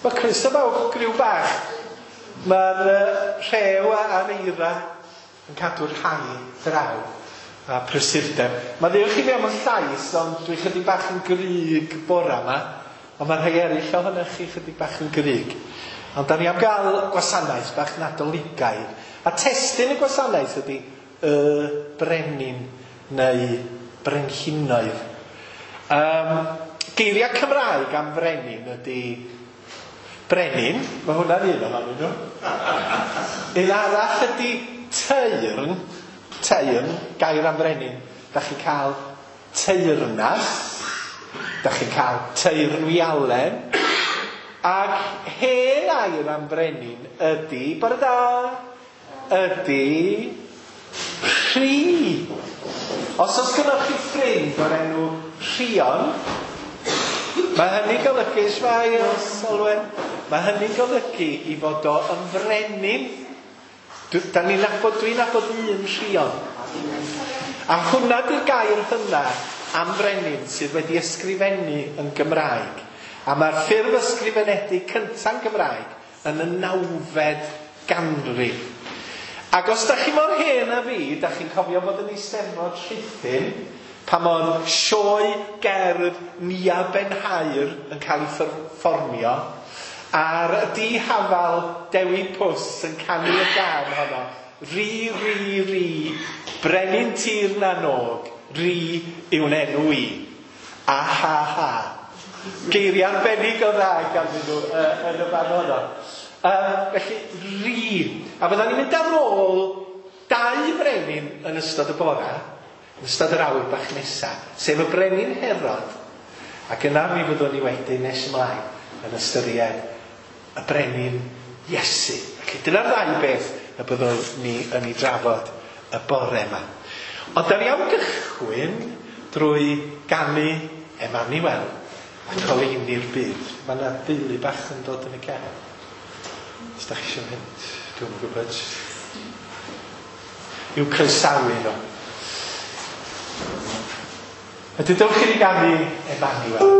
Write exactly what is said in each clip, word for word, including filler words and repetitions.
Mae croeso bawb, griw bach. Mae'r uh, rhew a'r eira yn cadw'r rhai draw a prysurdeb. Mae ddiolch i fi am y llais, ond dwi chydig bach yn gryg bora yma. Ond mae rhai eraill ohonoch chi chydig bach yn gryg. Ond da ni am gael gwasanaeth bach Nadoligaidd. A testun y gwasanaeth ydy y brenin neu brenhinoedd. Um, geiriau Cymraeg am frenin ydy brenin, mae hwnna'n un ohonyn nhw. Un arall ydy teyrn, teyrn, gair am frenin. Da chi'n cael teyrnas, da chi'n cael teyrnwialen, ac hen air am frenin ydy, bore da, ydy rhi. Os oes gynnoch chi ffrind o'r enw Rhion, mae hynny'n golygu, shwmae, Olwen, mae hynny'n golygu i fod o yn frenin. Da ni'n nabod, dwi'n nabod un Rhion. A hwnna di'r gair hynna am frenin sydd wedi ysgrifennu yn Gymraeg. A mae'r ffurf ysgrifenedig cynta'n Gymraeg yn y nawfed ganrif. Ac os da chi mor hen a fi, da chi'n cofio bod yn Eisteddfod Rhuthun, pan oedd sioe gerdd Nia Ben-Haer yn cael ei fformio, a'r dihafal Dewi Pws yn canu y gân honno, Ri, ri, ri, brenin tir na nog, ri yw'n enw i. A ha ha. Geiriau arbennig o dda ganddyn nhw uh, yn y fan honno. Um, felly, ri. A fyddan ni'n mynd ar ôl dau brenin yn ystod y bora, yn ystod yr awr bach nesaf, sef y brenin Herod. Ac yna mi fyddwn ni wedyn nes ymlaen yn ystyried y brenin Iesu. Felly dyna'r ddau beth y byddwn ni yn ei drafod y bore yma. Ond da ni am gychwyn drwy ganu Emmanuel a goleuni'r byd. Mae yna deulu bach yn dod yn y cefn. Os da chi eisiau mynd, dwi'n gwybod. I'w croesawu nhw. A dewch i ni ganu Emmanuel.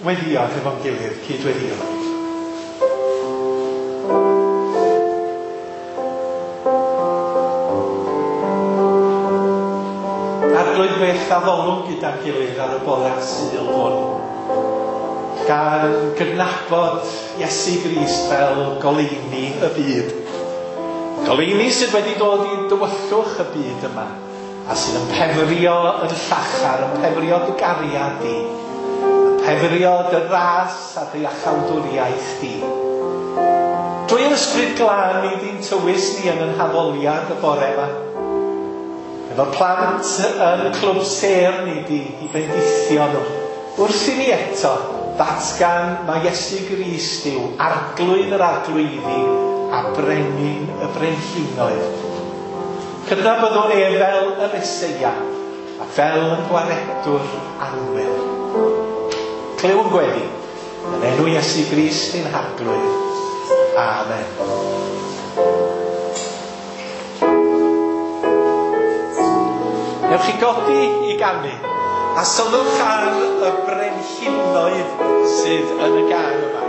Weddio efo'n gilydd, cydweddio. Arglwydd fyth addolwn gyda'n gilydd ar y bore Sul hwn, gan gydnabod Iesu Grist fel goleuni y byd. Goleuni sydd wedi dod i dywyllwch y byd yma, a sydd yn pefrio yn llachar, yn pefrio dy gariad di, pefrio dy ras a dy iachawdwriaeth di. Drwy'r Ysbryd Glân i ddi'n tywys ni yn yn haddoliad y bore yma. Efo'r plant yn clwb sêr ni di i bendithio nhw. Wrth i ni eto ddatgan mae Iesu Grist yw arglwydd yr arglwyddi a brenin y brenhinoedd. Cydnabyddwn ef fel y Meseia a fel yn gwaredwr annwyl. Clywn gweddi yn enw Iesu Grist ein harglwydd. Amen. Newch chi godi i ganu a sylwch ar y brenhinoedd sydd yn y gân yma.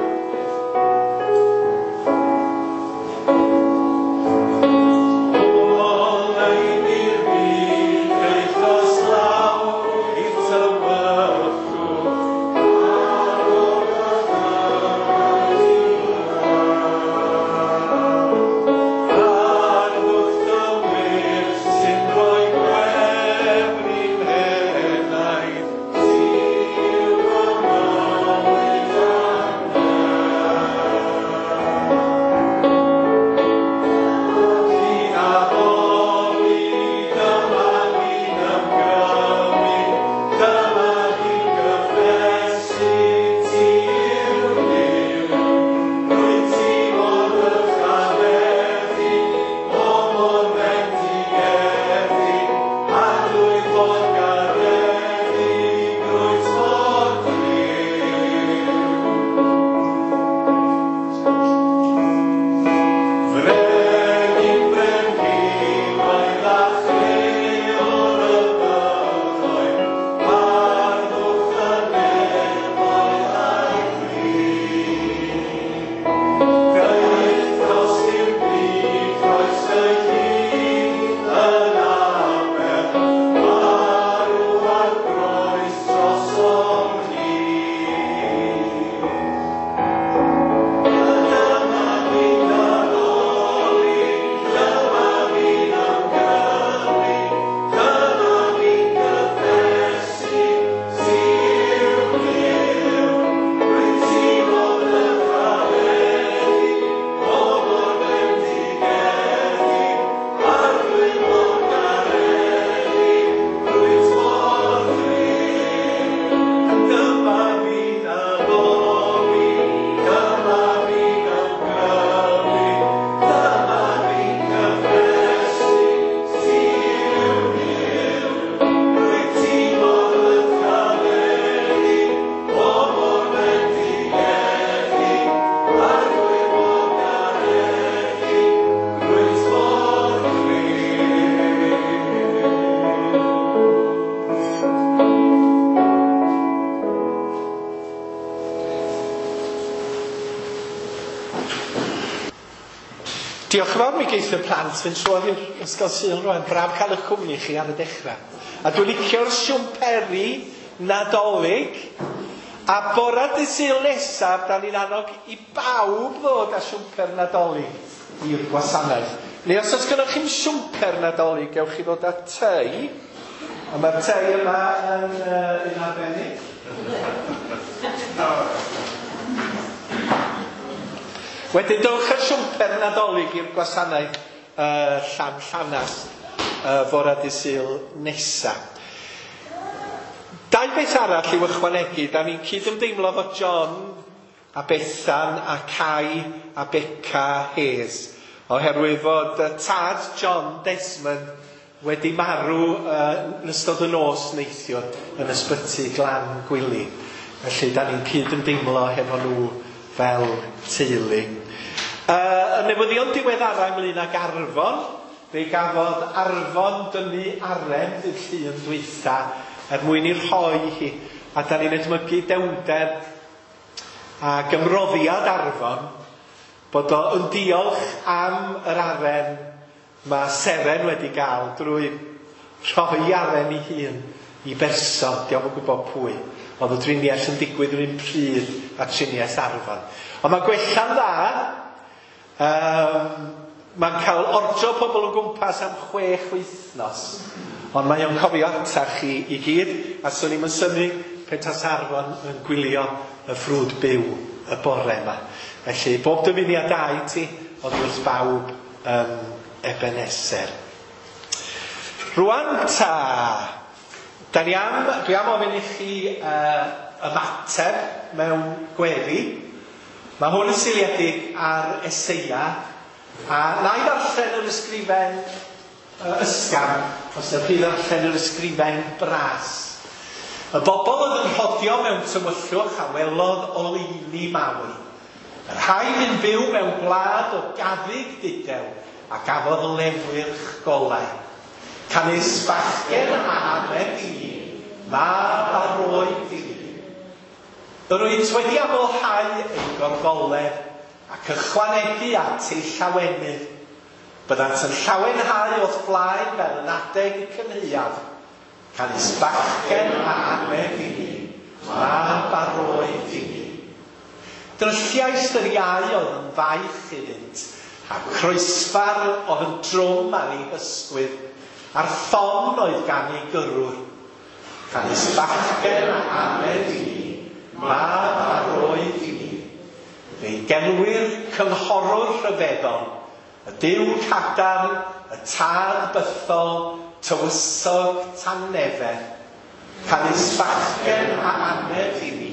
Diolch yn fawr, mi geith y plant fynd trwodd i'r Ysgol Sul rwan. Braf cael eich cwmni chi ar y dechrau. A dwi'n licio'r siwmperi Nadolig. A bora dydd Sul nesaf, da ni'n annog i bawb ddod â siwmper Nadolig i'r gwasanaeth. Neu os oes gennych chi'm siwmper Nadolig, gewch chi ddod â tei. A mae'r tei yma yn uh, un arbennig. Wedyn dowch â siwmper Nadolig i'r gwasanaeth uh, Llan Llanast uh, fora dydd Sul nesa. Dau beth arall i'w ychwanegu, da ni'n cydymdeimlo efo John a Bethan a Cai a Beca Hayes, oherwydd fod uh, tad John Desmond wedi marw uh, yn ystod y nos neithiwr yn ysbyty Glan Gwili. Felly da ni'n cydymdeimlo hefo nhw fel teulu. Uh, y newyddion diweddara ynglyn ag Arfon, fe gafodd Arfon dynnu aren ddydd Llun dwytha er mwyn i rhoi hi, a da ni'n edmygu dewnder ac ymroddiad Arfon, bod o yn diolch am yr aren mae Seren wedi gael drwy rhoi aren ei hun i berson, dio'm yn gwybod pwy. Oedd y driniaeth yn digwydd yr un pryd a triniaeth Arfon. Ond mae'n gwella'n dda. Um, mae'n cael ordro pobl o gwmpas am chwech wythnos. Ond mae o'n cofio atach chi i gyd, a swn i'm yn synnu pe tas Arfon yn gwylio y ffrwd byw y bore yma. Felly, bob dymuniad da i ti, oddi wrth bawb um, Ebenezer. Rwan ta, Da ni am, dwi am ofyn i chi uh, ymateb mewn gweddi. Mae hwn yn seiliedig ar Eseia, a na i ddarllen yr ysgrifen uh, ysgafn, os ydych chi ddarllen yr ysgrifen bras. Y bobl oedd yn rhodio mewn tywyllwch a welodd oleuni mawr. Y rhai yn byw mewn gwlad o gaddug dudew a gafodd lewyrch golau. Canys bachgen a aned i ni, mab a roed i ni. Yr wyt wedi amlhau ei gorfoledd ac ychwanegu at ei llawenydd. Byddant yn llawenhau o'th blaen fel yn adeg y cynhaeaf. Canys bachgen a aned i ni, mab a roed i ni. Drylliaist yr iau oedd yn faich iddynt, a croesfar oedd yn drwm ar ei hysgwydd, a'r ffon oedd gan ei gyrrwr. Canys bachgen a aned i ni, mab a roed i ni. Fe'i gelwir cynghorwr rhyfeddol, y Duw cadarn, y tad bythol, tywysog tangnefedd. Canys bachgen a aned i ni,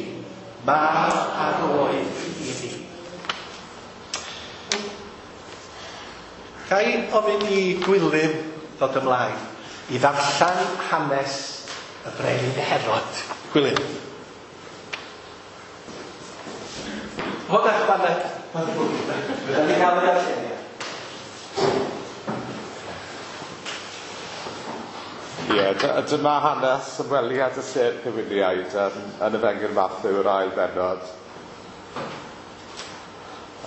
mab a roed i ni. Ga i ofyn i Gwilym ddod ymlaen i ddarllen hanes y brenin Herod. Gwilym. Hwn eich baned. Fydda ni cael ei darlleniad. Ie, dyma hanes ymweliad y sêr cyfeiliaid yn, yn Efengyl Mathew, yr ail bennod.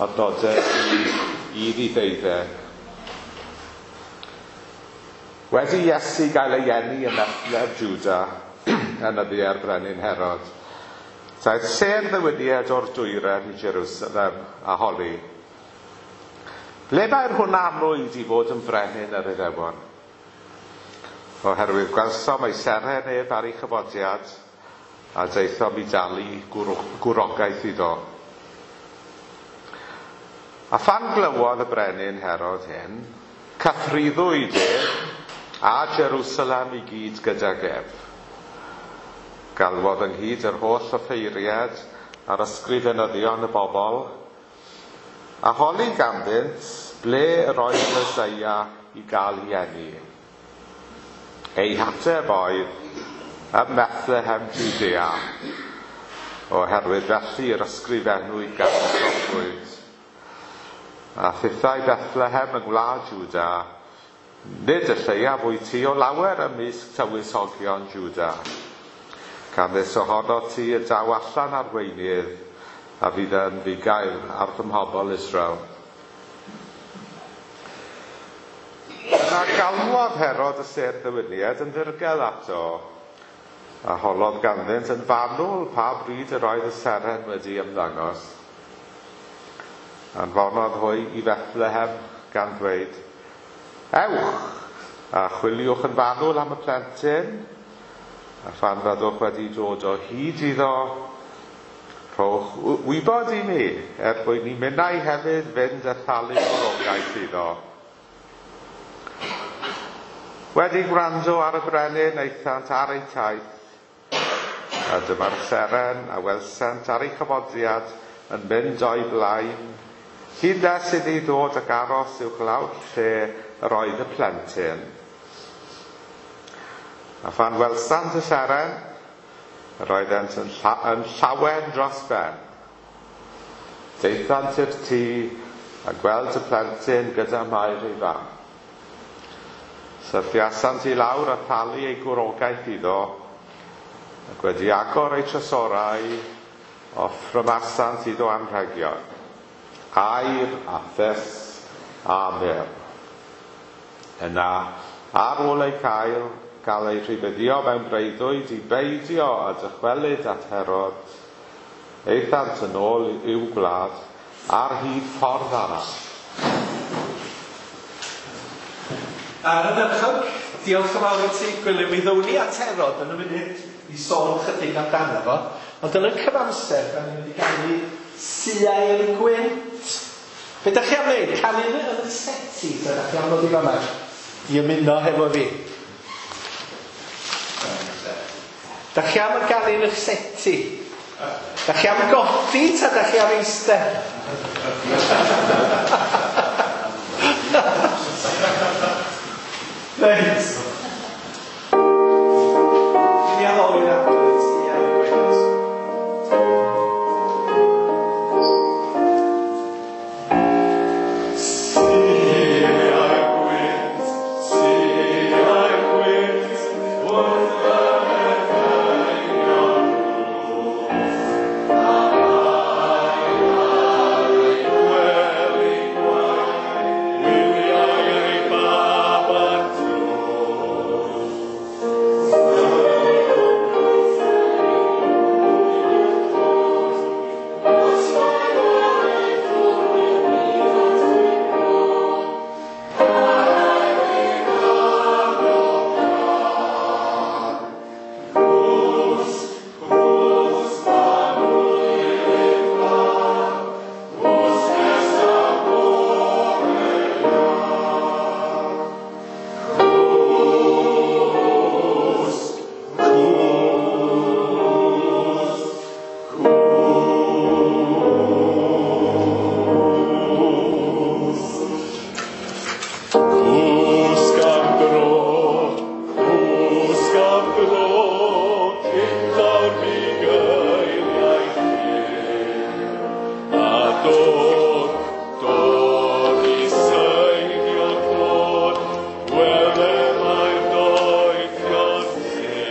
Adnodau i un i ddeuddeg. Wedi Iesu gael ei eni ym Methlehem Jwda, yn nyddiau'r brenin Herod, daeth sêr ddywydiad o'r dwyrain i Jerusalem a holi. Ble mae'r hwn anwyd i fod yn frenin yr Iddewon? Oherwydd gwelsom ei seren ef ar ei chyfodiad, a daethom i dalu gwrogaeth iddo. A phan glywodd y brenin Herod hyn, cythruddwyd ef a Jerusalem i gyd gydag ef. Galwodd ynghyd yr holl offeiriad a'r ysgrifenyddion y bobl, a holi ganddynt ble yr oedd Meseia i gael ei eni. Ei hateb oedd ym Methlehem Jwdea, oherwydd felly yr ysgrifennwyd gan y proffwyd. A thithau Bethlehem yng ngwlad Jwda, nid y lleiaf wyt ti o lawer ymysg tywysogion Jwda. Canys ohono ti y daw allan arweinydd a fydd yn fugail ar fy mhobl Israel. Yna galwodd Herod y sêr ddywyniad yn ddirgel ato, a holodd ganddynt yn fanwl pa bryd yr oedd y seren wedi ymddangos. Anfonodd hwy i Bethlehem gan ddweud, ewch a chwiliwch yn fanwl am y plentyn, a phan fyddwch wedi dod o hyd iddo, rhowch wybod i mi, er mwyn i minnau hefyd fynd a thalu gwrogaeth iddo. Wedi gwrando ar y brenin, aethant ar eu taith, a dyma'r seren a welsant ar ei chyfodiad yn mynd o'i blaen, hyd nes iddi ddod ac aros uwchlaw'r lle yr oedd y plentyn. A phan welsant y seren, yr oeddent yn, lla yn llawen dros ben. Daethant i'r tŷ a gweld y plentyn gyda Mair ei fam. Syrthiasant i lawr a thalu ei gwrogaeth iddo, ac wedi agor eu trysorau, offrymasant iddo anrhegion, aur a thus a myrrh. Yna, ar ôl eu cael, gael eu rhybuddio mewn breuddwyd i beidio a dychwelyd at Herod, aethant yn ôl i'w gwlad ar hyd ffordd arall. Ar y ddechrau, diolch yn fawr i ti, Gwilym. Mi ddown ni at Herod yn y munud i sôn chydig amdano fo. Ond yn y cyfamser, da ni'n mynd i ganu Siair Gwynt. Be da chi am wneud? Canu yn y seti, da chi am ddod i fama i ymuno hefo fi. Da chi am gael un eich seti? Da chi am godi ta da chi am eistedd? Reit. Mi addoli'r Arglwydd, Sia'r Gwynt. Sia'r Gwynt, Sia'r Gwynt, wrth y gwely gwaith, wyliau ei bab ar dro. Cwsg am dro, cwsg am dro, cyn daw'r bugeiliau hir. A dod, dod i seinio clod, wele mae'r doethion hir.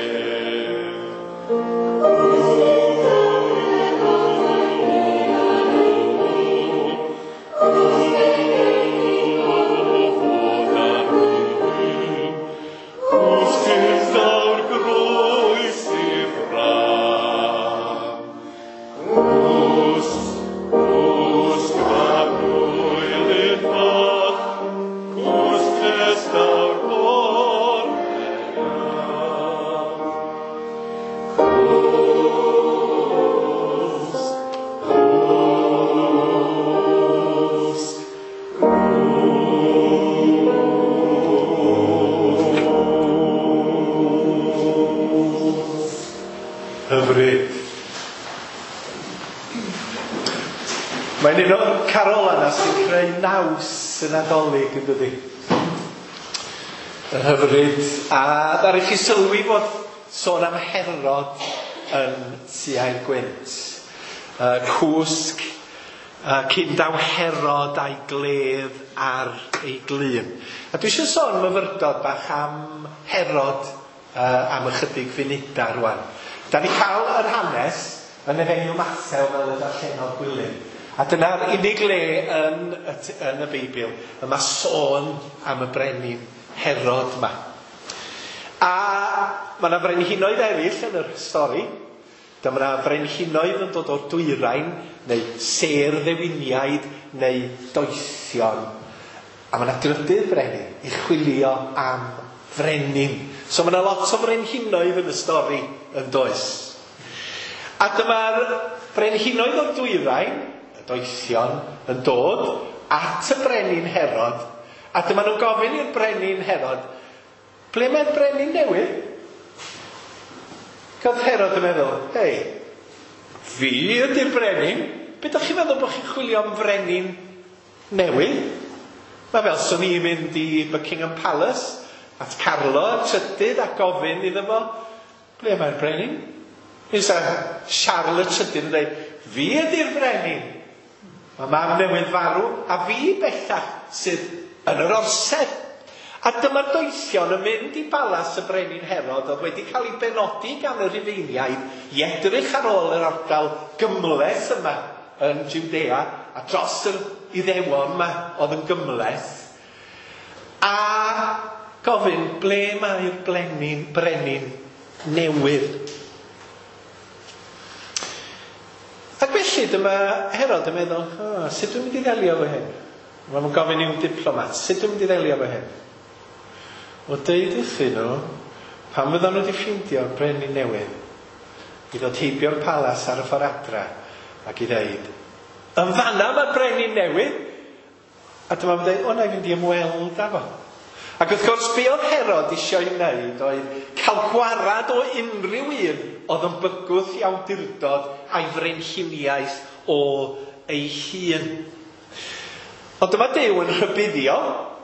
Hyfryd. Mae'n un o'r carolau yna sy'n creu naws y Nadolig, yn dydi? Yn hyfryd. A ddaru chi sylwi fod sôn am Herod yn Sia'r Gwynt. Uh, cwsg uh, cyn daw Herod a'i gledd ar ei glun. A dwi eisiau sôn myfyrdod bach am Herod uh, am ychydig funudau rwan. Da ni cael yr hanes yn Efengyl Mathew fel y darllenodd Gwilym. A dyna'r unig le yn y, yn y Beibl y mae sôn am y brenin Herod yma. A mae yna frenhinoedd eraill yn yr stori. Dyma yna frenhinoedd yn dod o'r dwyrain, neu sêr ddewiniaid, neu doethion. A mae yna drydydd brenin i chwilio am frenin. So mae yna lot o frenhinoedd yn y stori yn does. A dyma'r brenhinoedd o'r dwyrain, y doethion, yn dod at y brenin Herod. A dyma nhw'n gofyn i'r brenin Herod, ble mae'r brenin newydd? Gath Herod yn meddwl, hei, fi ydy'r brenin. Be dach chi'n meddwl bod chi'n chwilio am frenin newydd? Mae fel swn i'n mynd i Buckingham Palace at Carlo y trydydd a gofyn iddo fo, ble mae'r brenin? Fysa Charles y trydydd yn dweud, fi ydy'r brenin. Mae mam newydd farw a fi bellach sydd yn yr orsedd. A dyma'r doethion yn mynd i balas y brenin Herod oedd wedi cael ei benodi gan y Rufeiniaid i edrych ar ôl yr ardal gymhleth yma yn Judea a dros yr Iddewon yma oedd yn gymhleth. A gofyn, ble mae'r brenin, brenin newydd? Ac felly dyma Herod yn meddwl, oh, sut dwi'n mynd i ddelio efo hyn? Mae'n gofyn i'w diplomat, sut dwi'n mynd i ddelio efo hyn? O deud wrthyn nhw, pan fyddan nhw wedi ffeindio'r brenin newydd, i ddod heibio'r palas ar y ffordd adra ac i ddeud, yn fanna mae'r brenin newydd! A dyma fo'n dweud, o na i fynd i ymweld â fo. Ac wrth gwrs, be oedd Herod eisiau ei wneud oedd cael gwarad o unrhyw un oedd yn bygwth i awdurdod a'i frenhiniaeth o ei hun. Ond dyma Duw yn rhybuddio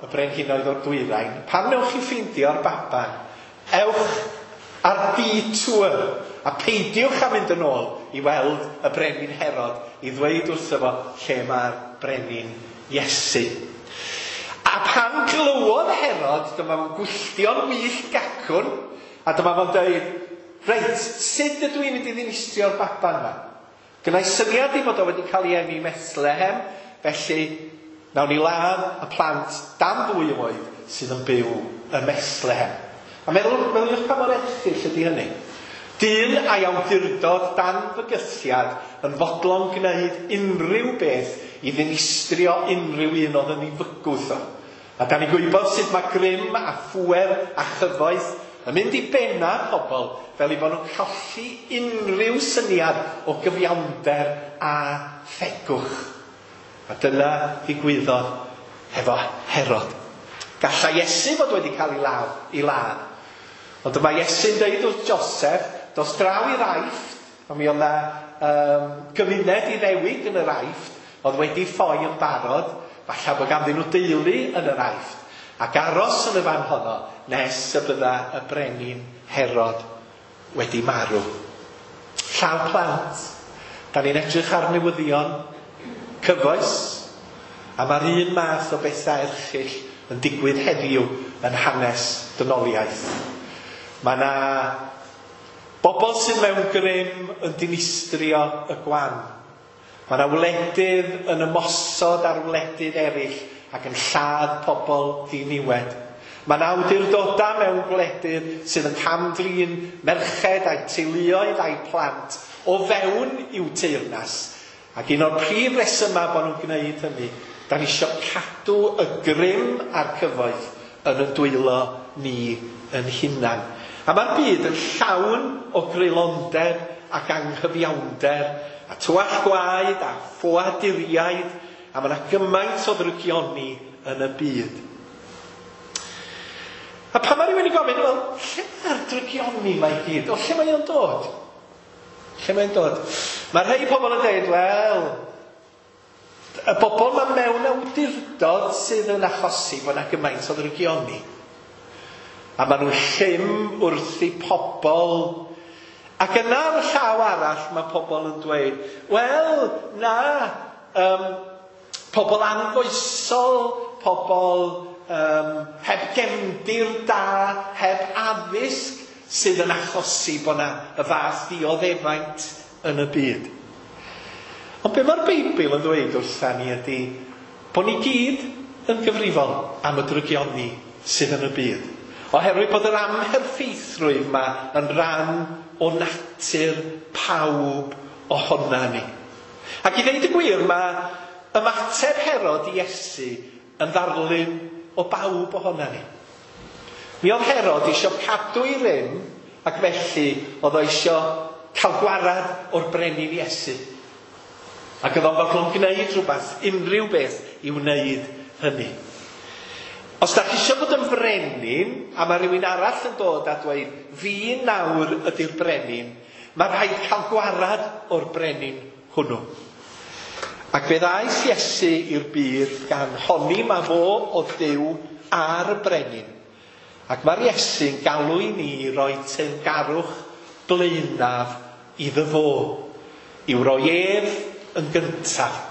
y brenhinoedd o'r dwyrain, pan newch chi ffeindio'r baban, ewch ar detour a peidiwch â mynd yn ôl i weld y brenin Herod i ddweud wrtho fo lle mae'r brenin Iesu. A pan glywodd Herod, dyma fo'n gwylltio'n wyllt gacwn, a dyma fo'n dweud, reit, sut ydw i'n mynd i ddinistrio'r baban yma? Gynna i syniad i fod o wedi cael ei eni Bethlehem, felly nawn ni ladd y plant dan ddwy oed sydd yn byw ym Methlehem. A meddwl, meddyliwch pa mor erchyll ydy hynny. Dyn a'i awdurdod dan fygythiad yn fodlon gwneud unrhyw beth i ddinistrio unrhyw un oedd yn ei fygwth o. A da ni'n gwybod sut mae grym a phŵer a chyfoeth yn mynd i benna pobl fel i bod nhw'n colli unrhyw syniad o gyfiawnder a thegwch. A dyna ddigwyddodd hefo Herod. Gallai Iesu fod wedi cael ei law, ei ladd. Ond dyma Iesu'n dweud wrth Joseph, dos draw i'r Aifft, a mi oedd 'na um, gymuned Iddewig yn yr Aifft, oedd wedi ffoi yn barod, falle bod ganddyn nhw deulu yn yr Aifft, ac aros yn y fan honno nes y bydda y brenin Herod wedi marw. Llaw plant, da ni'n edrych ar newyddion cyfoes, a mae'r un math o bethau erchyll yn digwydd heddiw yn hanes dynoliaeth. Mae yna bobl sydd mewn grym yn dinistrio y gwan. Mae yna wledydd yn ymosod ar wledydd eraill ac yn lladd pobl ddiniwed. Mae yna awdurdodau mewn gwledydd sydd yn cam-drin merched a'u teuluoedd a'u plant o fewn i'w teyrnas. Ac un o'r prif resymau bod nhw'n gwneud hynny, da ni eisiau cadw y grym a'r cyfoeth yn y dwylo ni yn hunan. A mae'r byd yn llawn o greulondeb ac anghyfiawnder, a twall gwaed a ffoaduriaid, a mae yna gymaint o ddrygioni yn y byd. A pan mae rhywun yn gofyn, wel, lle mae'r drygioni mae i gyd? O, lle mae o'n dod? Lle mae'n dod? Mae rhai pobl yn dweud, wel, y bobl mae mewn awdurdod sydd yn achosi bod yna gymaint o ddrygioni. A maen nhw'n llym wrth i pobl. Ac yna ar y llaw arall mae pobl yn dweud, wel, na, um, pobl anfoesol, pobl um, heb gefndir da, heb addysg, sydd yn achosi bod yna y fath ddioddefaint yn y byd. Ond be mae'r Beibl yn ddweud wrtha ni ydy bod ni gyd yn gyfrifol am y drygioni sydd yn y byd. Oherwydd bod yr amherffeithrwydd yma yn rhan o natur pawb ohona ni. Ac i ddeud y gwir, mae ymateb Herod i Iesu yn ddarlun o bawb ohona ni. Mi oedd Herod eisiau cadw ei rym, ac felly oedd o eisiau cael gwarad o'r brenin Iesu. Ac oedd o'n fodlon gwneud rhywbeth, unrhyw beth i wneud hynny. Os da chi eisiau bod yn frenin, a mae rhywun arall yn dod a dweud, fi nawr ydy'r brenin, mae rhaid cael gwarad o'r brenin hwnnw. Ac fe ddaeth Iesu i'r byd gan honni ma fo o Dduw a'r brenin. Ac mae'r Iesu'n galw i ni roi teyrngarwch blaenaf iddo fo, i'w roi ef yn gyntaf.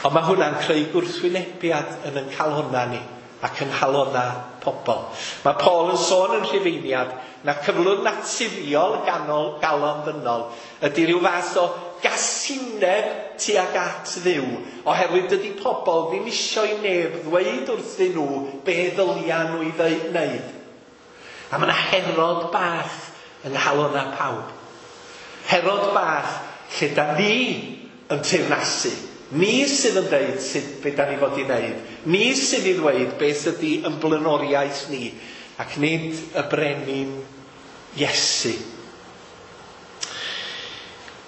Ond mae hwnna'n creu gwrthwynebiad yn ein calonna ni ac yn nghalonna pobl. Mae Paul yn sôn yn Rhufeiniad na cyflwr naturiol ganol, galon ddynol ydy rhyw fath o gasineb tuag at Dduw, oherwydd dydy pobl ddim isio i neb ddweud wrthyn nhw be ddylia nhw i wneud. A mae yna Herod bach yng nghalonna pawb. Herod bach lle da ni yn teyrnasu. Ni sydd yn dweud sut be da ni fod i wneud. Ni sydd i ddweud beth ydy yn blaenoriaeth ni, ac nid y brenin Iesu.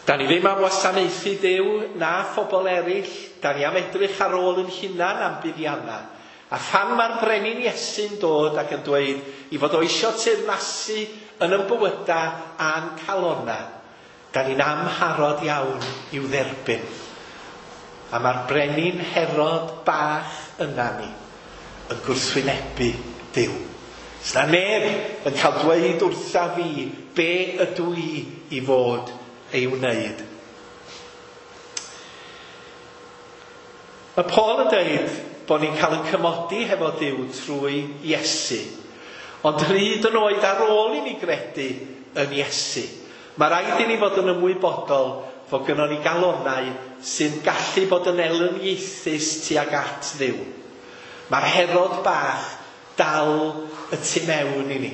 Da ni ddim am wasanaethu Duw na phobl eraill. Da ni am edrych ar ôl yn hunan am buddiannau. A phan mae'r brenin Iesu'n dod ac yn dweud i fod o eisiau teyrnasu yn ein bywydau a'n calonna, da ni'n amharod iawn i'w dderbyn. A mae'r brenin Herod bach yna ni yn gwrthwynebu Duw. Sna neb yn cael dweud wrtha fi be ydw i i fod ei wneud. Mae Paul yn dweud bod ni'n cael ein cymodi hefo Duw trwy Iesu. Ond hyd yn oed ar ôl i ni gredu yn Iesu, mae rhaid i ni fod yn ymwybodol fod gynnon ni galonnau sy'n gallu bod yn elyniaethus tuag at Dduw. Mae'r Herod bach dal y tu mewn i ni.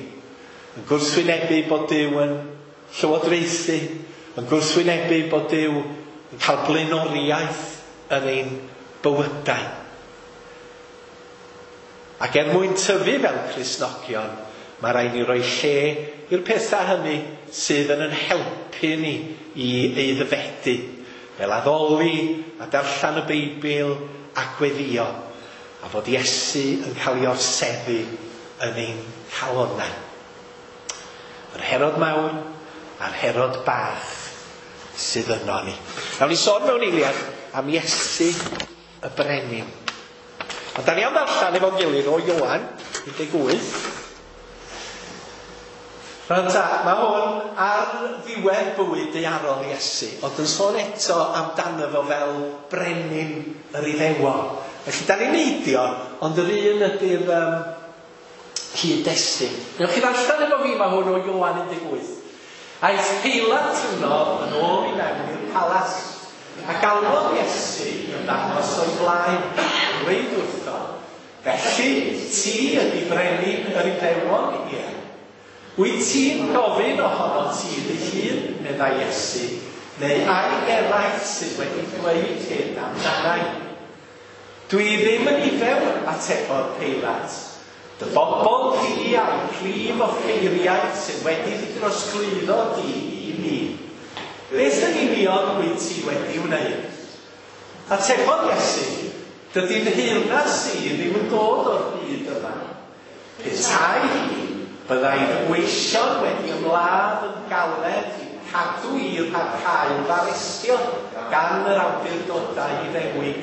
Yn gwrthwynebu bod Duw yn llywodraethu, yn gwrthwynebu bod Duw yn cael blaenoriaeth yn ein bywydau. Ac er mwyn tyfu fel Cristnogion, mae rhaid ni roi lle i'r pethau hynny sydd yn yn helpu ni i aeddfedu, fel addoli a darllen y Beibl a gweddio, a fod Iesu yn cael ei orseddu yn ein calonnau. Yr Herod mawr a'r Herod bach sydd yno ni. Nawn ni sôn mewn eiliad am Iesu y brenin. Ond da ni am ddarllen efo'n gilydd o Ioan un deg wyth. Rwan ta, mae hwn ar ddiwedd bywyd daearol Iesu, ond yn sôn eto amdano fo fel brenin yr Iddewon. Felly da ni'n neidio, ond yr un ydy'r um, cyd-destun. Newch chi ddarllen efo fi, mae hwn o Ioan un deg wyth. Aeth Peilat yno yn ôl i mewn i'r palas, a galwodd Iesu yn ddangos o'i flaen, dweud wrtho, felly ti ydy brenin yr Iddewon, ie. Wyt ti'n gofyn ohono ti dy hun, meddai Iesu, neu ai eraill sydd wedi dweud hyn amdanai? Dwi ddim yn Iddew, atebodd Peilat. Dy bobl di a'i prif offeiriaid sydd wedi dy drosglwyddo di i mi. Beth yn union wyt ti wedi wneud? Atebodd Iesu, dydy'n nheyrnas i ddim yn dod o'r byd yma. Petai hi, byddai fy ngweision wedi ymladd yn galed i cadw i rhag cael fy arestio gan yr awdurdodau Iddewig.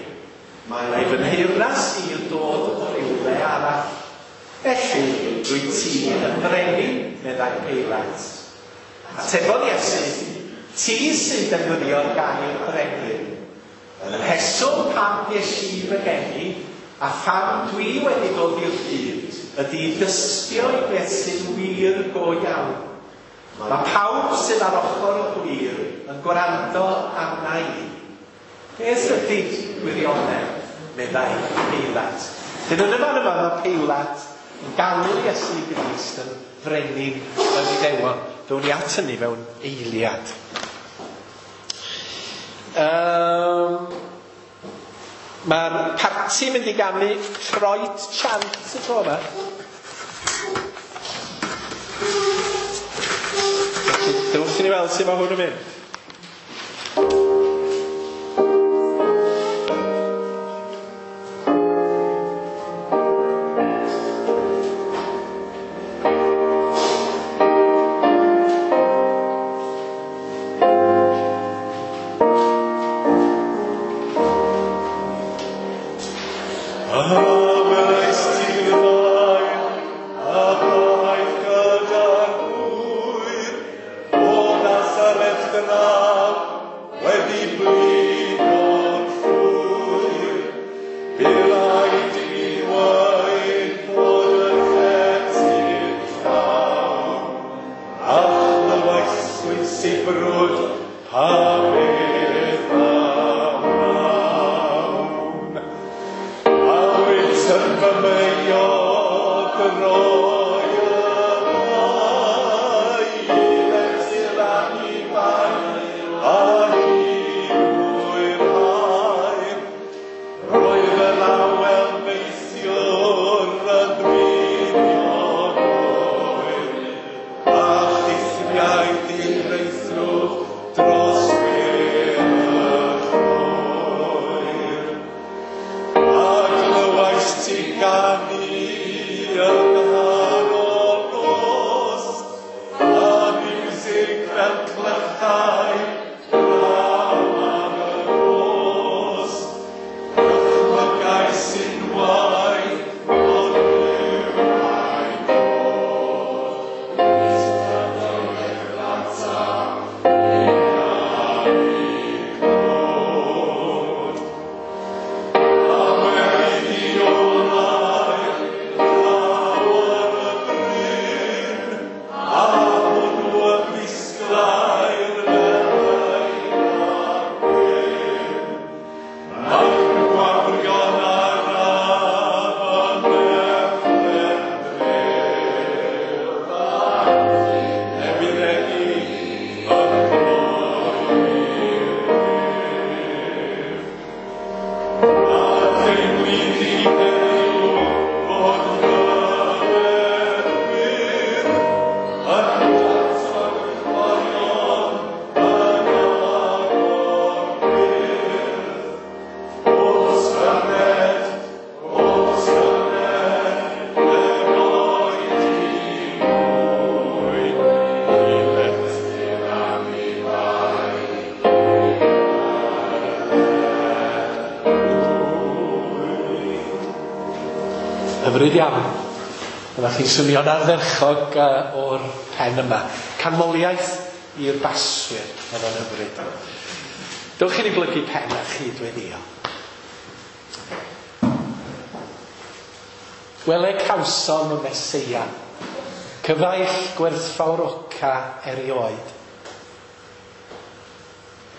Mae fy nheyrnas i yn dod o rywle arall. Felly, rwyt ti yn brenin, meddai Peilat. Atebodd Iesu, ti sy'n defnyddio'r gair brenin. Yn y rheswm pam ges i fy geni, a pham dwi wedi dod i'r byd, ydy dystio i beth sy'n wir go iawn. Mae pawb sydd ar ochr y gwir yn gwrando arna i. Beth ydy gwirionedd, meddai Peilat. Dyn yn y fan yma mae Peilat yn galw Iesu Grist yn frenin yr Iddewon. Ddown ni at hynny mewn eiliad. Um, Mae'r parti mynd i ganu Troed Chant y tro yma. Felly, dewch i ni weld sut mae hwn yn mynd. Dros Hyfryd iawn. Dyma chi'n swnio'n ardderchog uh, o'r pen yma. Canmoliaeth i'r baswyr. Oedd o'n hyfryd. Dewch i ni blygu pen a chydweddïo. Wele cawsom y Meseia, cyfaill gwerthfawroca erioed.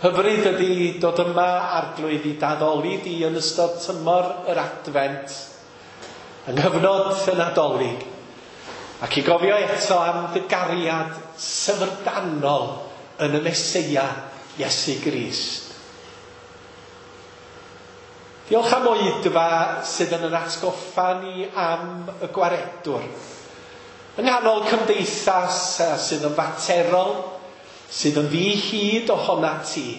Hyfryd ydy dod yma arglwydd i daddoli di yn ystod tymor yr Adfent, yng nghyfnod y Nadolig, ac i gofio eto am dy gariad syfrdanol yn y Meseia Iesu Grist. Diolch am oedfa sydd yn yn atgoffa ni am y gwaredwr. Yng nghanol cymdeithas sydd yn faterol, sydd yn ddi-hid ohona ti,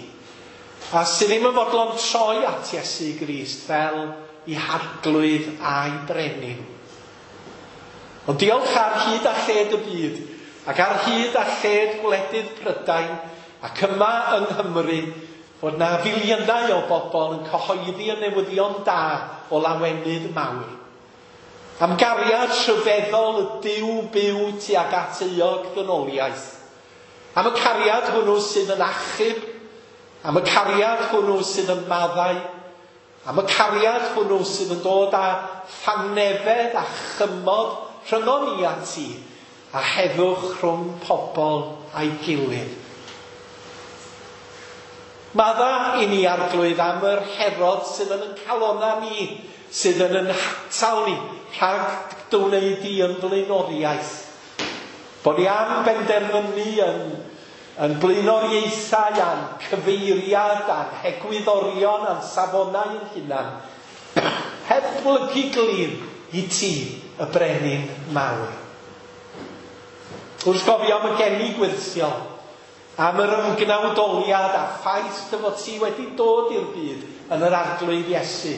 a sydd ddim yn fodlon troi at Iesu Grist fel i harglwydd a'i brenin. Ond diolch ar hyd a lled y byd, ac ar hyd a lled gwledydd Prydain, ac yma yng Nghymru, fod na filiynau o bobl yn cyhoeddi y newyddion da o lawenydd mawr. Am gariad rhyfeddol y Duw byw tuag at euog ddynoliaeth. Am y cariad hwnnw sydd yn achub, am y cariad hwnnw sydd yn maddau, am y cariad hwnnw sydd yn dod â thangnefedd a chymod rhyngon ni a ti, a heddwch rhwng pobl a'i gilydd. Madda i ni arglwydd am yr Herod sydd yn yn calona ni, sydd yn yn hatal ni rhag dy wneud di yn blaenoriaeth. Bod ni am benderfynu yn, yn blaenoriaethau a'n cyfeiriad a'n hegwyddorion a'n safonau yn hunan, heb blygu glin i ti, y brenin mawr. Wrth gofio am y geni gwyrthiol, am yr ymgnawdoliad a ffaith dy fod ti wedi dod i'r byd yn yr arglwydd Iesu.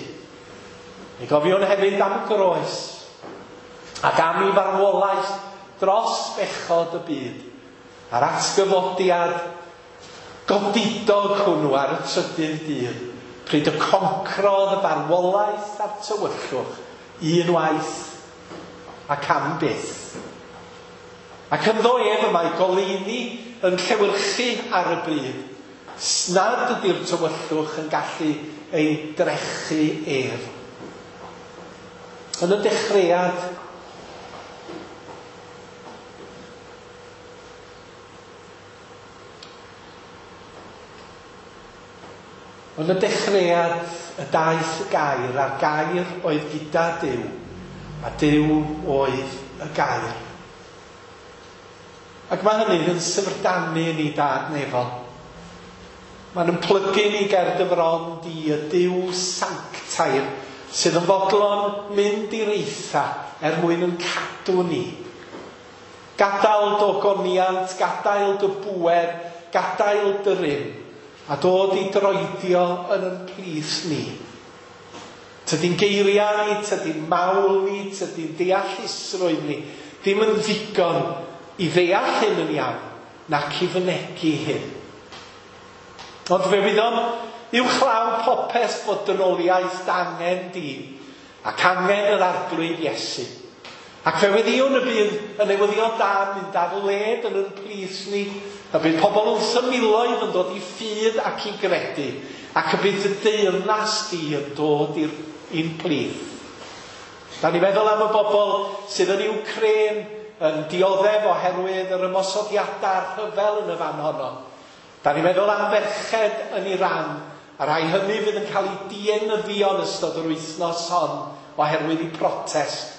Mi gofiwn hefyd am y groes ac am ei farwolaeth dros bechod y byd a'r atgyfodiad godidog hwnnw ar y trydydd dydd, pryd y concrodd y farwolaeth a'r tywyllwch unwaith ac am byth. Ac ynddo ef y mae goleuni yn llewyrchu ar y byd, nad ydy'r tywyllwch yn gallu ei drechu ef. Yn y dechreuad, yn y dechreuad y daeth y gair, a'r gair oedd gyda Duw, a Duw oedd y gair. Ac mae hynny yn syfrdanu ni dad nefol. Mae'n ymhlygu ni ger dy fron di y Duw sanctaidd sydd yn fodlon mynd i'r eitha er mwyn yn cadw ni. Gadael dy ogoniant, gadael dy bŵer, gadael dy rym, a dod i droedio yn yn plith ni. Tydi'n geiriau ni, tydi'n mawl ni, tydi'n deallusrwydd ni, ddim yn ddigon i ddeall hyn yn iawn, nac i fynegi hyn. Ond fe wyddom uwchlaw popeth fod dynoliaeth angen di, ac angen yr arglwydd Iesu. Ac fe weddïwn y bydd y newyddion da yn mynd ar led yn yn plith ni, y bydd pobl wrth y miloedd yn dod i ffydd ac i gredu, ac y bydd y deyrnas di yn dod i'r i'n plith. Da ni feddwl am y bobl sydd yn Ukraine yn dioddef oherwydd yr ymosodiadau rhyfel yn y fan honno. Da ni'n meddwl am ferched yn Iran, a rhai hynny fydd yn cael eu dienyddio yn ystod yr wythnos hon oherwydd eu protest.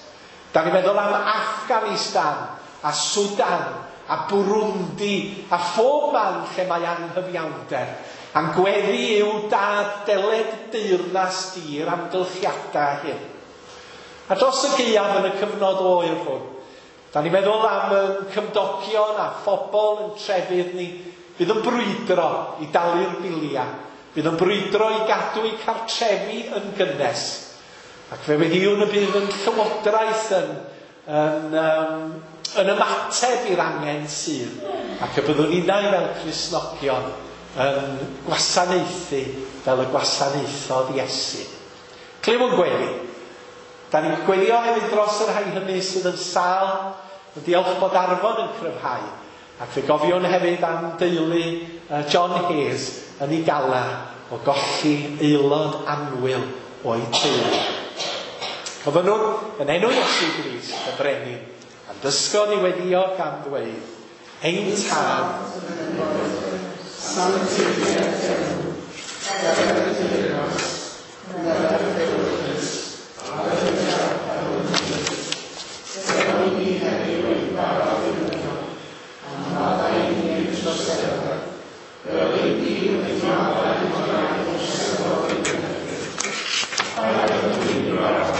Da ni'n meddwl am Afghanistan a Sudan a Burundi a phob man lle mae anghyfiawnder. A'n gweddi yw dad deled deyrnas di i'r amgylchiadau hyn. A dros y gaeaf yn y cyfnod oer hwn, da ni'n meddwl am yn cymdogion a phobl yn trefydd ni fydd yn brwydro i dalu'r biliau, fydd yn brwydro i gadw eu cartrefi yn gynnes. Ac fe weddïwn y bydd yn llywodraeth yn, yn, um, yn ymateb i'r angen sydd, ac y byddwn ninnau fel Cristnogion yn gwasanaethu fel y gwasanaethodd Iesu. Clywwn gweddi. Da ni'n gweddio hefyd dros y rhai hynny sydd yn sâl, yn diolch bod Arfon yn cryfhau. Ac fe gofiwn hefyd am deulu John Hayes yn ei galar o golli aelod annwyl o'i teulu. Gofynnwn yn enw Iesu Grist, y Brenin, a'n dysgodd i weddïo gan ddweud, Ein Tad, sanctified enw, gadewch i deyrnas, gwnewch ewyllys, a ni heddiw ein bara ddiwrnod, a maddau i ni ein troseddau, fel ein ni wedi maddau i'n rhai troseddol ein herbyn. Paid â ni brawd,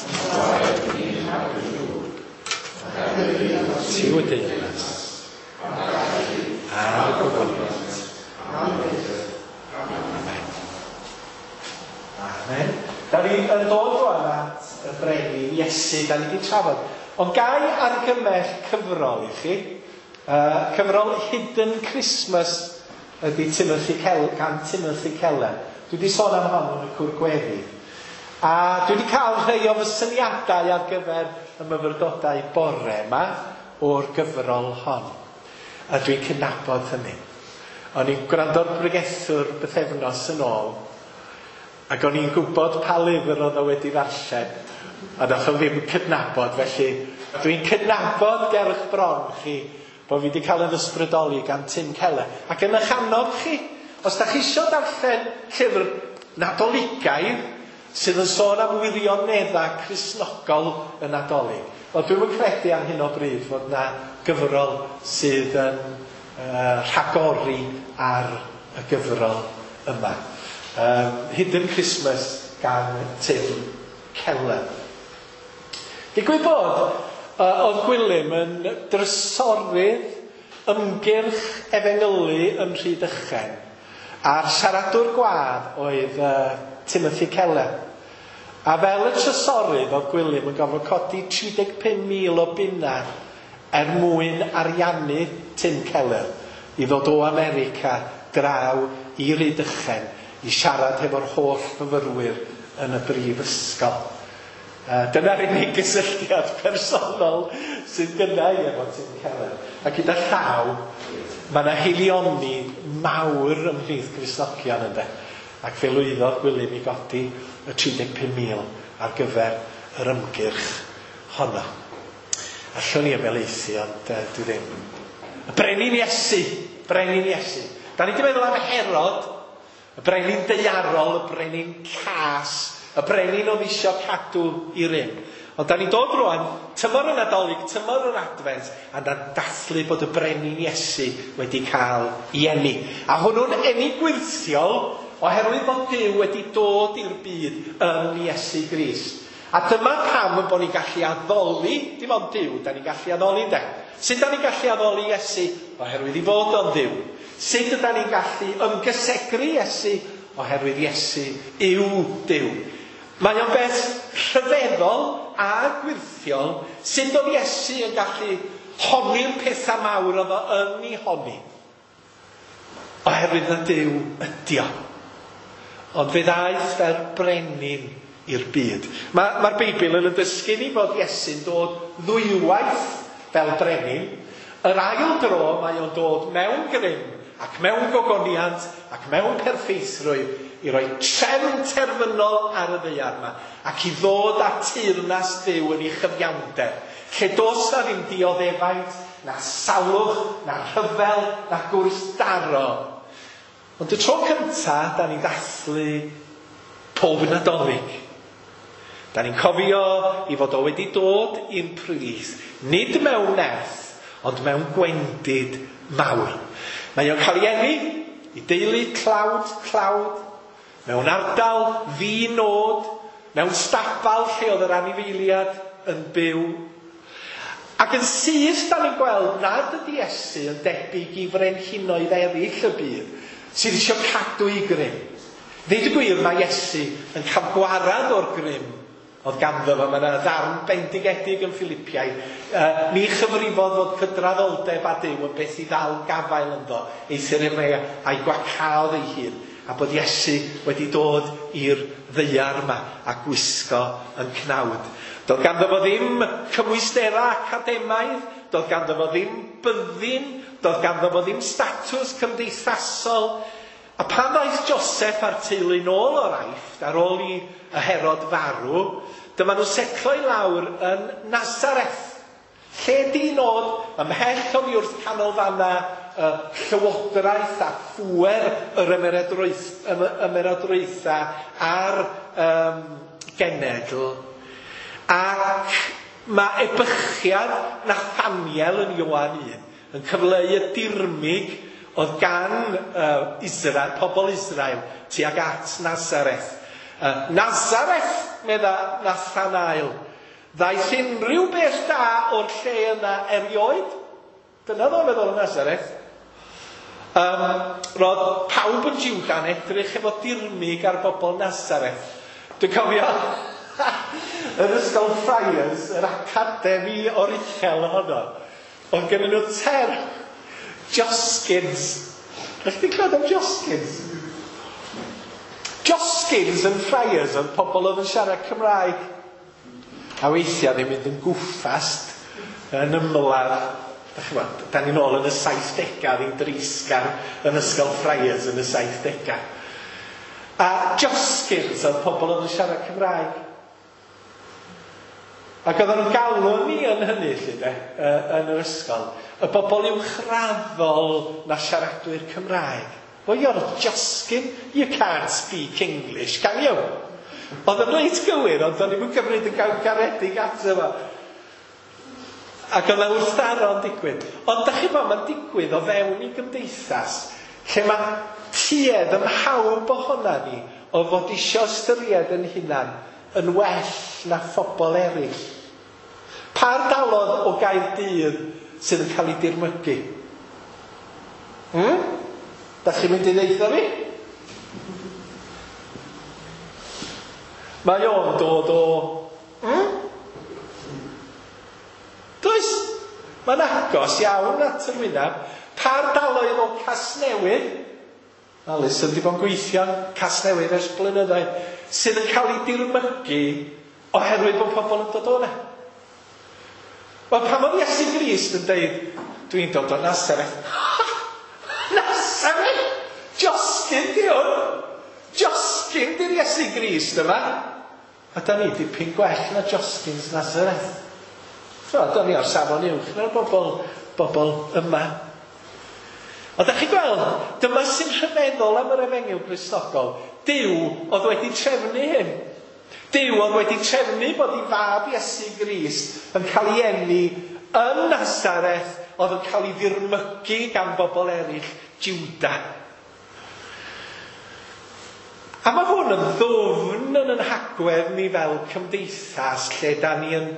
ond gwaed ni rhag y drwg, ac hefyd Ti yw y deyrnas, a'r gogoniant. Amen. Amen. Da ni yn dod rwan at y Brenin Iesu, da ni wedi trafod. Ond gai argymell cyfrol i chi. Uh, cyfrol Hidden Christmas ydy Timothy Keller, gan Timothy Keller. Dwi wedi sôn am hon yn y cwr gweddi. A dwi wedi cael rhai o fy syniadau ar gyfer y myfyrdodau bore yma o'r gyfrol hon. A dwi'n cydnabod hynny. O'n i'n gwrando'r bregethwr bythefnos yn ôl, ac o'n i'n gwybod pa lyfr oedd o wedi ddarllen, a nath o ddim cydnabod. Felly dwi'n cydnabod gerch bron chi bod fi wedi cael yn ysbrydoli gan Tim Keller. Ac yn eich annog chi, os da chi isio darllen llyfr Nadoligaidd sydd yn sôn am wirioneddau Cristnogol y Nadolig, wel, dwi'm yn credu ar hyn o bryd fod na gyfrol sydd yn uh, rhagori ar y gyfrol yma. Um, Hidden Christmas gan Tim Keller. Digwydd bod, uh, oedd Gwilym yn drysorydd ymgyrch efengylu yn Rhydychen, a'r siaradwr gwadd oedd uh, Timothy Keller. A fel y trysorydd oedd Gwilym yn gorfod codi tri deg pump mil o bunna er mwyn ariannu Tim Keller i ddod o America draw i Rhydychen i siarad hefo'r holl fyfyrwyr yn y brifysgol. Uh, dyna'r unig gysylltiad personol sydd gynna i efo Tim Keller. A gyda llaw, mae yna haelioni mawr ymhlith Cristnogion ynde. Ac fe lwyddodd Gwilym i godi y tri deg pump mil ar gyfer yr ymgyrch honno. Allwn ni ymhelaethu, ond uh, dwi ddim. Y Brenin Iesu, Brenin Iesu. Da ni wedi meddwl am Herod, y brenin daearol, y brenin cas, y brenin oedd isio cadw i rym. Ond da ni'n dod rwan, tymor y Nadolig, tymor yr Adfent, a na'n dathlu bod y Brenin Iesu wedi cael ei eni. A hwnnw'n eni gwyrthiol oherwydd bod Duw wedi dod i'r byd yn Iesu Grist. A dyma pam yn bod ni'n gallu addoli, dim ond Duw, da ni'n gallu addoli de. Sut da ni'n gallu addoli Iesu? Oherwydd i fod o'n Dduw. Sut yda ni'n gallu ymgysegru Iesu? Oherwydd Iesu yw Duw. Mae o'n beth rhyfeddol a gwyrthiol sut oedd Iesu yn gallu honni'r pethau mawr oedd o yn ei honni. Oherwydd na Duw ydi o. Ond fe ddaeth fel brenin i'r byd. Mae'r ma Beibl yn dysgu ni bod Iesu'n dod ddwywaith fel brenin. Yr ail dro mae o'n dod mewn grym ac mewn gogoniant ac mewn perffeithrwydd i roi trefn terfynol ar y ddaear yma ac i ddod â teyrnas Duw yn ei chyfiawnder, lle does na ddim dioddefaint, na salwch, na rhyfel, na gwrthdaro. Ond y tro cynta, da ni'n dathlu pob Nadolig. Da ni'n cofio i fod o wedi dod i'n plith, nid mewn nerth, ond mewn gwendid mawr. Mae o'n cael ei eni i deulu tlawd, tlawd, mewn ardal ddi-nod, mewn stabal lle oedd yr anifeiliad yn byw. Ac yn syth da ni'n gweld nad ydy Iesu yn debyg i frenhinoedd eraill y byd sydd eisiau cadw i grym. Ddeud y gwir, mae Iesu yn cael gwarad o'r grym oedd ganddo fo. Mae yna ddarn bendigedig yn Philippiaid. Uh, ni chyfrifodd fod cydraddoldeb a Duw yn beth i ddal gafael ynddo, eithr efe a'i gwacaodd ei hun a bod Iesu wedi dod i'r ddaear yma a gwisgo yn cnawd. Doedd ganddo fo ddim cymwysterau academaidd, doedd ganddo fo ddim byddin, doedd ganddo fo ddim statws cymdeithasol. A pan ddaeth Joseph a'r teulu nôl o'r Aifft, ar ôl i y Herod farw, dyma nhw setlo i lawr yn Nazareth. Lle di nod ymhell oddi wrth canolfanna y llywodraeth a phŵer yr ymerodraethau a'r um, genedl. Ac mae ebychiad Nathaniel yn Ioan un yn cyfleu y dirmyg oedd gan uh, Israel, pobl Israel, tuag at Nazareth. Uh, Nazareth, medda Nathanael, ddaeth unrhyw beth da o'r lle yna erioed? Dyna ddo'n meddwl yn Nazareth. Um, roedd pawb yn Jwda'n edrych efo dirmyg ar bobl Nazareth. Dwi'n cofio yn ysgol Friars, yr academi oruchel honno, oedd gennyn nhw term Joskins. Ydych chi'n clywed am Joskins? Joskins yn Friars oedd pobl oedd yn siarad Cymraeg. A weithiau ddim mynd yn gwffast yn ymladd. Dach chi'n gwbod, da ni'n ôl yn y saithdegau, ddim dreisgar yn ysgol Friars yn y saithdegau. A Joskins oedd pobl oedd yn siarad Cymraeg. Ac oedden nhw'n galw ni yn hynny, lly, de, yn yr ysgol, y bobl uwchraddol na siaradwyr Cymraeg. Well, you're a Joskin, you can't speak English, can you? Oedd yn reit gywir, ond o'n i'n cymryd yn gael garedig ato fo. Ac oedd wrthdaro'n digwydd. Ond dach chi'n bod, mae'n digwydd o fewn i gymdeithas, lle mae tuedd ym mhawb ohona ni o fod isio ystyried yn hunan yn well na phobl eraill. Pa ardalodd o Gaerdydd sydd yn cael ei dirmygu? Hmm? Da chi'n mynd i ddeutha fi? Mae o'n dod o... Hmm? Does? Mae'n agos iawn at yr wyneb. Pa ardaloedd o Casnewydd? Alison wedi bod yn gweithio Casnewydd ers blynyddoedd, sydd yn cael ei dirmygu oherwydd bod pobl yn dod o'na. Wel, pan oedd Iesu Grist yn deud, dwi'n dod o Nazareth. Nazareth? Josgyn di hwn! Josgyn di'r Iesu Grist yma. A da ni dipyn gwell na Josgyn's Nazareth. So, da ni ar safon uwch na'r bobl, bobl yma. Ond da chi'n gweld, dyma sy'n rhyfeddol am yr efengyl Gristnogol. Duw oedd wedi trefnu hyn. Duw oedd wedi trefnu bod ei fab Iesu Grist yn cael ei eni yn Nazareth, oedd yn cael ei ddirmygu gan bobl eraill, Jwda. A mae hwn yn ddwfn yn yn hagwedd ni fel cymdeithas, lle da ni yn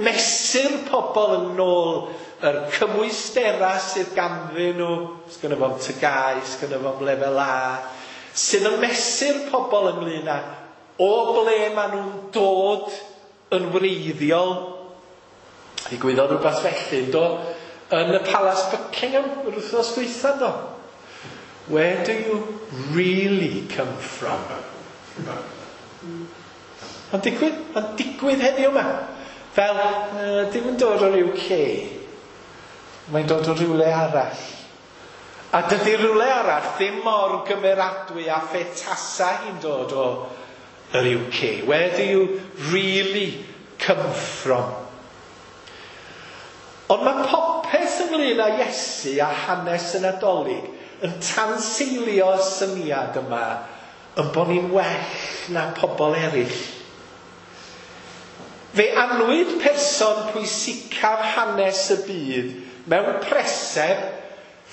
mesur pobl yn ôl yr cymwysterau sydd ganddyn nhw, sgynno fo'm T G A U, sgynno fo'm lefel A, sydd yn mesur pobl ynglyn â o ble maen nhw'n dod yn wreiddiol. Ddigwyddodd rhywbeth felly, do, yn y Palas Buckingham yr wythnos dwytha, do. Where do you really come from? Mae'n digwydd, mae'n digwydd heddiw yma. Fel, uh, dim yn dod o'r U K. Mae'n dod o rhywle arall. A dydy rhywle arall ddim mor gymeradwy a phetasa hi'n dod o yr U K. Where do you really come from? Ond mae popeth ynglyn â Iesu a hanes y Nadolig yn tanseilio y syniad yma yn bod ni'n well na pobl eraill. Fe anwyd person pwysicaf hanes y byd mewn preseb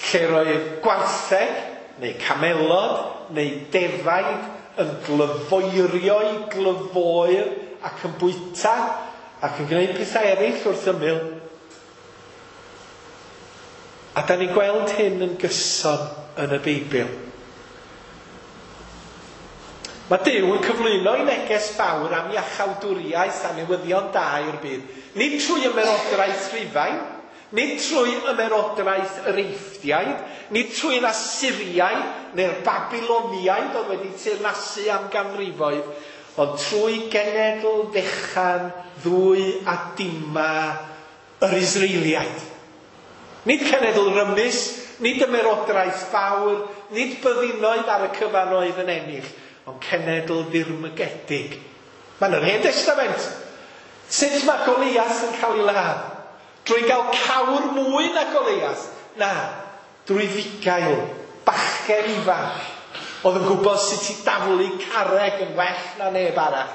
lle roedd gwartheg neu camelod neu defaid yn glyfoerio i glyfoer ac yn bwyta ac yn gwneud pethau eraill wrth ymyl. A da ni'n gweld hyn yn gyson yn y Beibl. Mae Duw yn cyflwyno ei neges fawr am iachawdwriaeth a newyddion da i'r byd. Nid trwy ymerodraeth Rhufain, Nid trwy ymerodraeth yr Eifftiaid, nid trwy'r Asyriaid neu'r Babiloniaid oedd wedi teyrnasu am ganrifoedd, ond trwy genedl fechan ddwy a dima yr Israeliaid. Nid cenedl rymus, nid ymerodraeth fawr, nid byddinoedd ar y cyfan oedd yn ennill, ond cenedl ddirmygedig. Mae'n yr Hen Testament. Sut mae Goliath yn cael ei ladd? Drwy gael cawr mwy na Goliath? Na, drwy fugail, bachgen ifanc, oedd yn gwybod sut i daflu carreg yn well na neb arall,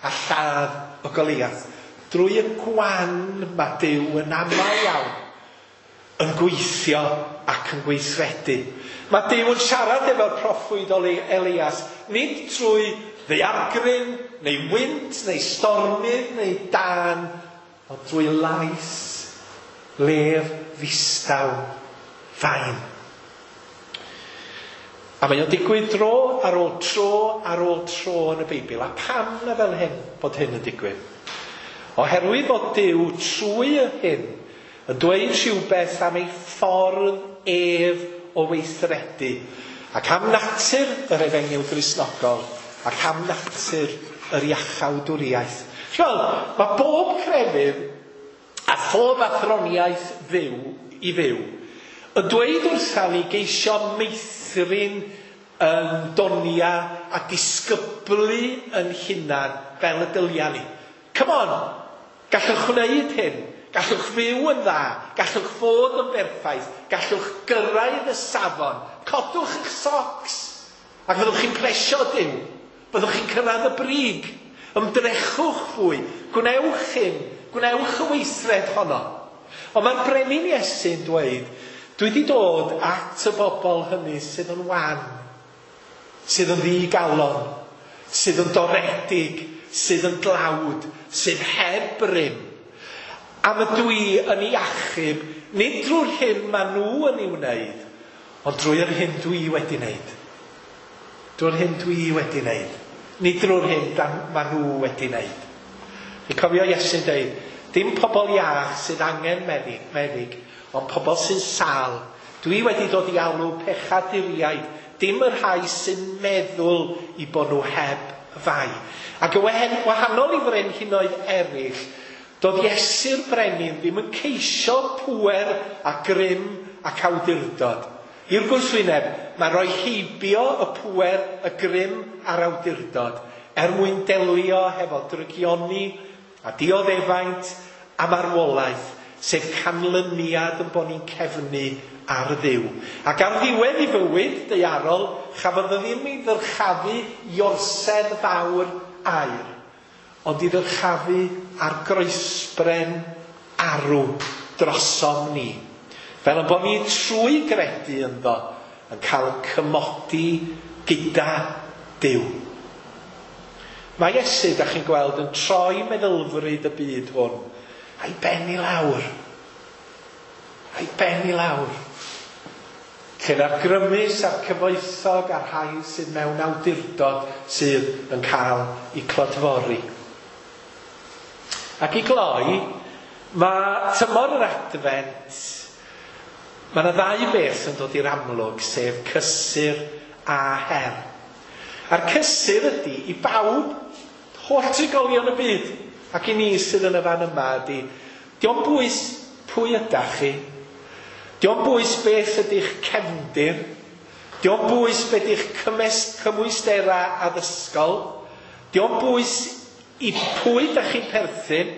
a lladd o Goliath. Drwy y gwan mae Duw yn aml iawn yn gweithio ac yn gweithredu. Mae Duw yn siarad efo'r proffwyd Elias, nid trwy ddaeargryn, neu wynt, neu stormydd, neu dân, ond drwy lais lef ddistaw fain. A mae o'n digwydd dro ar ôl tro ar ôl tro yn y Beibl. A pam na fel hyn bod hyn yn digwydd? Oherwydd bod Duw trwy y hyn yn dweud rhywbeth am ei ffordd ef o weithredu, ac am natur yr Efengyl Gristnogol, ac am natur yr iachawdwriaeth. Chi'weld, mae bob crefydd a phob athroniaeth fyw i fyw yn dweud wrtha ni geisio meithrin yn donia a disgyblu yn hunan fel y dylia ni. Come on, gallwch wneud hyn, gallwch fyw yn dda, gallwch fod yn berffaith, gallwch gyrraedd y safon, codwch eich socks, ac fyddwch chi'n plesio Duw, fyddwch chi'n cyrraedd y brig, ymdrechwch fwy, gwnewch hyn, gwnewch y weithred honno. Ond mae'r brenin Iesu'n dweud, dwi wedi dod at y bobl hynny sydd yn wan, sydd yn ddigalon, sydd yn doredig, sydd yn dlawd, sydd heb rym. Am y dwi yn ei achub, nid drwy'r hyn maen nhw yn ei wneud, ond drwy'r hyn dwi wedi wneud. Drwy'r hyn dwi wedi wneud. Nid drwy'r hyn maen nhw wedi wneud. Chi'n cofio Iesu'n dweud, dim pobl iach sydd angen meddyg, meddyg, ond pobl sy'n sâl. Dwi wedi dod i alw pechaduriaid, dim y rhai sy'n meddwl i bod nhw heb fai. Ac yn wahanol i frenhinoedd eraill, doedd Iesu'r brenin ddim yn ceisio pŵer a grym ac awdurdod. I'r gwrthwyneb, mae rhoi heibio y pŵer, y grym a'r awdurdod er mwyn delio hefo drygioni a dioddefaint a marwolaeth, sef canlyniad yn bod ni'n cefnu ar Dduw. Ac ar ddiwedd ei fywyd daearol, chafodd o ddim ei ddyrchafu i orsedd fawr aur, ond i ddyrchafu ar groesbren arw drosom ni. Fel yn bod ni trwy gredu ynddo yn cael yn cymodi gyda Duw. Mae Iesu, da chi'n gweld, yn troi meddylfryd y byd hwn a'i ben i lawr. A'i ben i lawr. Lle na'r grymus a'r cyfoethog a'r rhai sydd mewn awdurdod sydd yn cael eu clodfori. Ac i gloi, mae tymor yr Adfent, mae yna ddau beth yn dod i'r amlwg, sef cysur a her. A'r cysur ydy i bawb, holl trigolion y byd, ac i ni sydd yn y fan yma ydy, dio'm bwys pwy ydach chi, dio'm bwys beth ydy'ch cefndir, dio'm bwys beth ydych cymwysterau addysgol, dio'm bwys i pwy dach chi'n perthyn,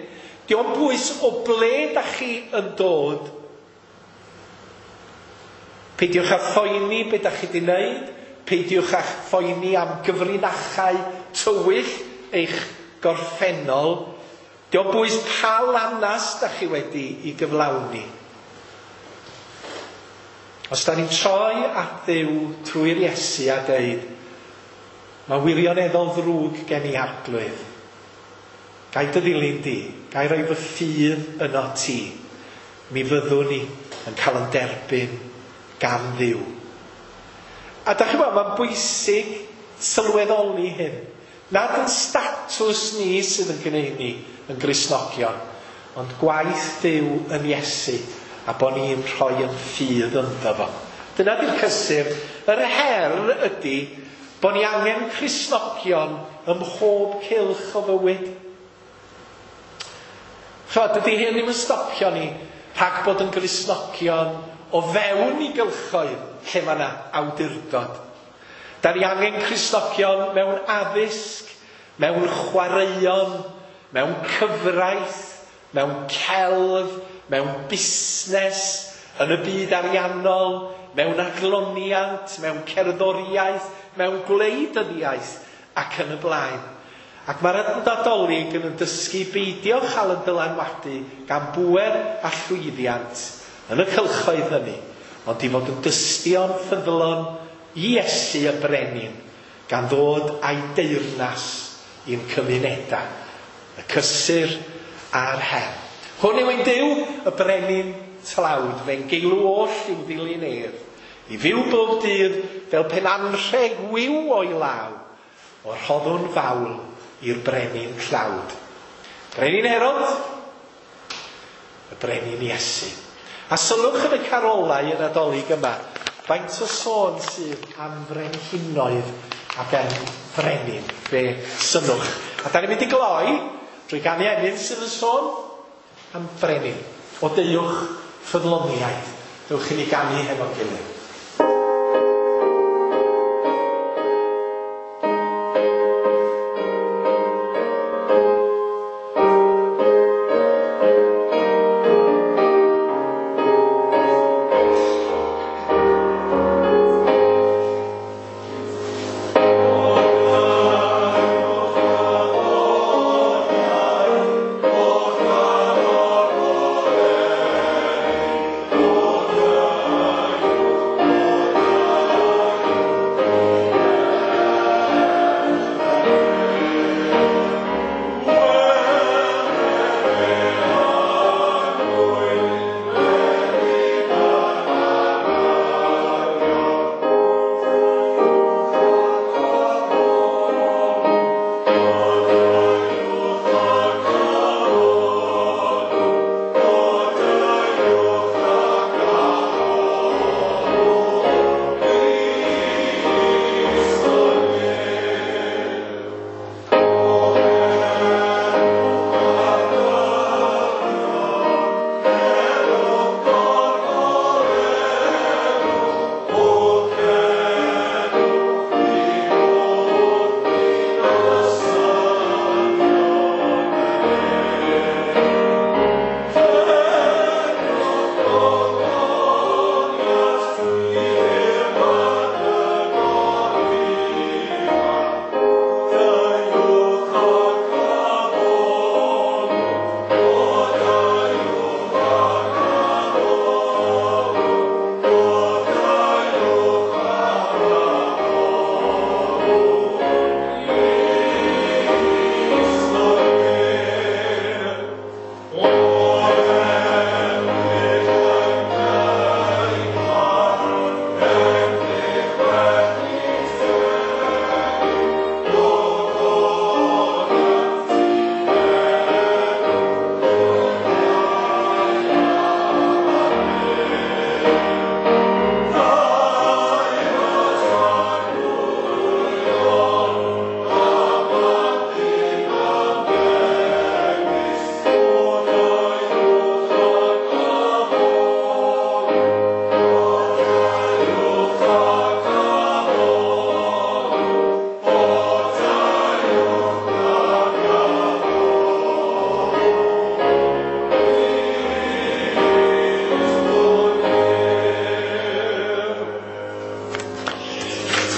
dio'm bwys o ble dach chi yn dod. Peidiwch â phoeni beth dach chi wedi wneud, peidiwch â phoeni am gyfrinachau tywyll eich gorffennol. Dio'm bwys pa lanas dach chi wedi i gyflawni. Os da ni'n troi at Dduw trwy'r Iesu a deud, mae wirioneddol ddrwg gen i Arglwydd. Gai dy ddilyn di, gai roi fy ffydd yno ti. Mi fyddwn ni yn cael yn derbyn gan Dduw. A da chi'n gwybod, mae'n bwysig sylweddoli hyn. Nad yn statws ni sydd yn gwneud ni yn Gristnogion, ond gwaith Duw yn Iesu a bod ni'n rhoi yn ffydd ynddo fo. Dyna di'r cysur. Yr her ydy bod ni angen Cristnogion ym mhob cylch o fywyd. Ch'mod, dydy hyn ddim yn stopio ni rhag bod yn Gristnogion o fewn i gylchoedd lle mae yna awdurdod. Da ni angen Cristnogion mewn addysg, mewn chwaraeon, mewn cyfraith, mewn celf, mewn busnes, yn y byd ariannol, mewn adloniant, mewn cerddoriaeth, mewn gwleidyddiaeth ac yn y blaen. Ac mae'r Nadolig yn dysgu beidio chael yn dylanwadu gan bŵer a llwyddiant yn y cylchoedd hynny, ond i fod yn dystion ffyddlon i Iesu y Brenin, gan ddod a'i deyrnas i'n cymunedau, y cysur a'r her. Hwn yw ein Duw, y Brenin tlawd, fe'n geilw oll i'w ddilyn ef, i fyw bob dydd fel pen anrheg wiw o'i law, o rhoddwn fawl i'r Brenin tlawd. Brenin Herod, y Brenin Iesu. A sylwch yn y carolau y Nadolig yma, faint o sôn sydd am frenhinoedd ac am frenin, fe synnwch. A da ni'n mynd i gloi drwy ganu emyn sydd yn sôn am frenin. O deuwch ffyddloniaid, dewch i ni ganu hefo'n gilydd.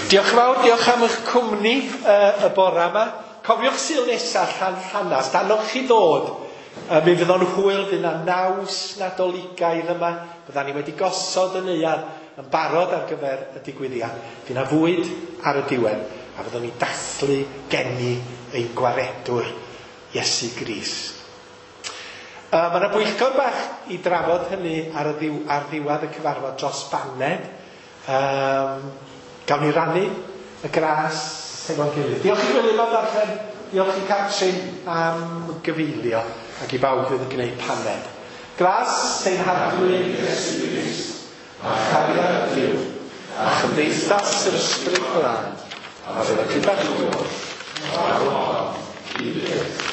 Diolch yn fawr, diolch am eich cwmni uh, y bore yma. Cofiwch Sul nesaf llan llanast, annog chi ddod. Uh, mi fydd o'n hwyl, fydd yna naws Nadoligaidd yma. Byddan ni wedi gosod y neuadd yn barod ar gyfer y digwyddiad. Fydd yna fwyd ar y diwedd, a fyddwn ni dathlu geni ein gwaredwr Iesu Grist. Uh, mae yna bwyllgor bach i drafod hynny ar, y ddiw, ar ddiwedd y cyfarfod dros baned. Um, Gawn ni rannu y gras hefo'n gilydd. Diolch i Gwilym am ddarllen, diolch i Catrin am gyfeilio, ac i bawb fydd yn gwneud paned. Gras ein Harglwydd Iesu Grist, a chariad Duw, a chymdeithas yr Ysbryd Glân, a fydd gyda chi oll, nawr i byth.